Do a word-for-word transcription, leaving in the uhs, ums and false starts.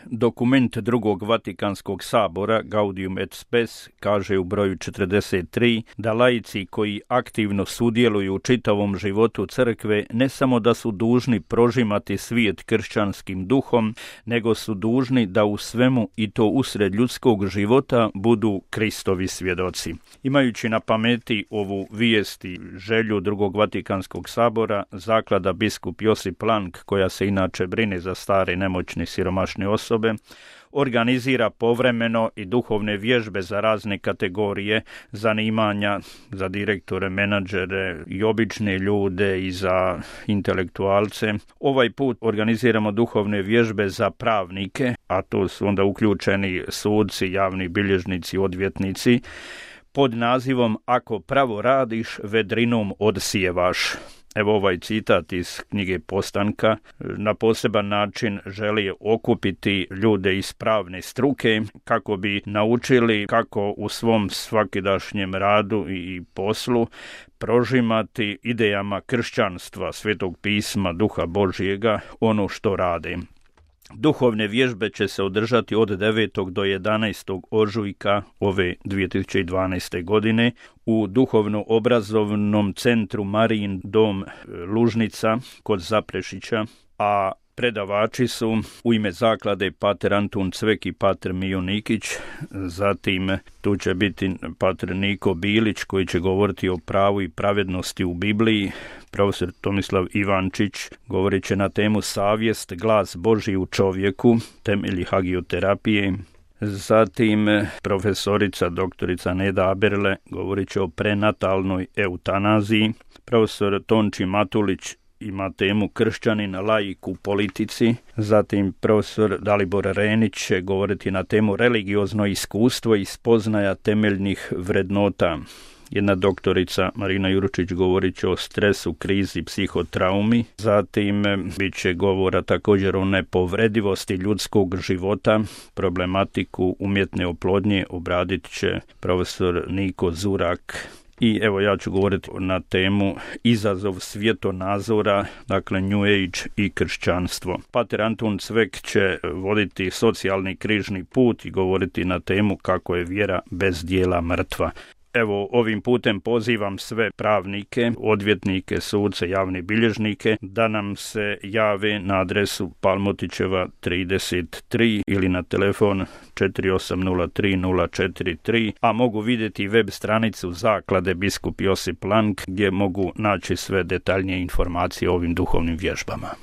dokument drugog Vatikanskog sabora Gaudium et Spes kaže u broju četrdeset tri da laici koji aktivno sudjeluju u čitavom životu crkve ne samo da su dužni prožimati svijet kršćanskim duhom, nego su dužni da u svemu i to usred ljudskog života budu Kristovi svjedoci. Imajući na pameti ovu vijest i želju drugog Vatikanskog sabora, zaklada biskup Josip Plank, koja se inače brine za stare, nemoćne, siromašne osobe, organizira povremeno i duhovne vježbe za razne kategorije zanimanja, za direktore, menadžere i obične ljude i za intelektualce. Ovaj put organiziramo duhovne vježbe za pravnike, a to su onda uključeni suci, javni bilježnici, odvjetnici, pod nazivom Ako pravo radiš, vedrinom odsijevaš. Evo ovaj citat iz knjige Postanka na poseban način želi okupiti ljude iz pravne struke kako bi naučili kako u svom svakidašnjem radu i poslu prožimati idejama kršćanstva, Svetog pisma, Duha Božjega, ono što rade. Duhovne vježbe će se održati od devetog do jedanaestog ožujka ove dvije tisuće dvanaeste. godine u duhovno-obrazovnom centru Marijin dom Lužnica kod Zaprešića, a predavači su u ime zaklade pater Antun Cvek i pater Mijo Nikić, zatim tu će biti pater Niko Bilić koji će govoriti o pravu i pravednosti u Bibliji, profesor Tomislav Ivančić govorit će na temu Savjest, glas Božji u čovjeku, temelji hagioterapije. Zatim profesorica doktorica Neda Aberle govorit će o prenatalnoj eutanaziji. Profesor Tonči Matulić ima temu Kršćanin, laik u politici. Zatim profesor Dalibor Renić će govoriti na temu religiozno iskustvo i spoznaja temeljnih vrednota. Jedna doktorica Marina Juručić govorit će o stresu, krizi, psihotraumi. Zatim bit će govora također o nepovredivosti ljudskog života, problematiku umjetne oplodnje obradit će profesor Niko Zurak. I evo ja ću govoriti na temu izazov svjetonazora, dakle New Age i kršćanstvo. Pater Antun Cvek će voditi socijalni križni put i govoriti na temu kako je vjera bez dijela mrtva. Evo, ovim putem pozivam sve pravnike, odvjetnike, suce, javne bilježnike da nam se jave na adresu Palmotićeva trideset tri ili na telefon četiri osam nula tri nula četiri tri, a mogu vidjeti web stranicu zaklade biskup Josip Plank gdje mogu naći sve detaljnije informacije o ovim duhovnim vježbama.